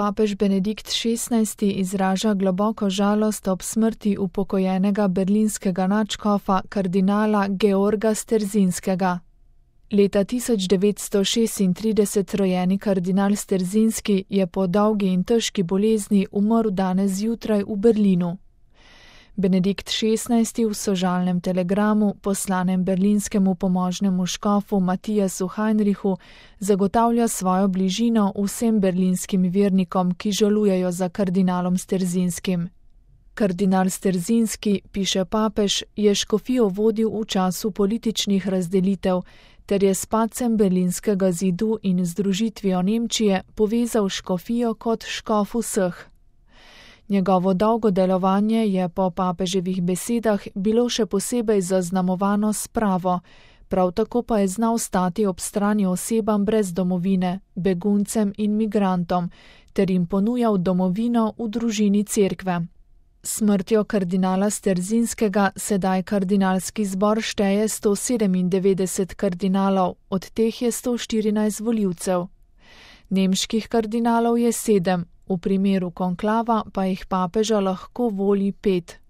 Papež Benedikt XVI. Izraža globoko žalost ob smrti upokojenega berlinskega nadškofa kardinala Georga Sterzinskega. Leta 1936 rojeni kardinal Sterzinski je po dolgi in težki bolezni umrl danes zjutraj v Berlinu. Benedikt XVI. V sožalnem telegramu, poslanem berlinskemu pomožnemu škofu Matijasu Heinrichu, zagotavlja svojo bližino vsem berlinskim vernikom, ki žalujejo za kardinalom Sterzinskim. Kardinal Sterzinski, piše papež, je škofijo vodil v času političnih razdelitev, ter je s padcem berlinskega zidu in združitvijo Nemčije povezal škofijo kot škof vseh. Njegovo dolgo delovanje je po papeževih besedah bilo še posebej zaznamovano s spravo, prav tako pa je znal stati ob strani osebam brez domovine, beguncem in migrantom, ter jim ponujal domovino v družini cerkve. Smrtjo kardinala Sterzinskega sedaj kardinalski zbor šteje 197 kardinalov, od teh je 114 volivcev. Nemških kardinalov je 7, v primeru konklava pa jih papeža lahko voli 5.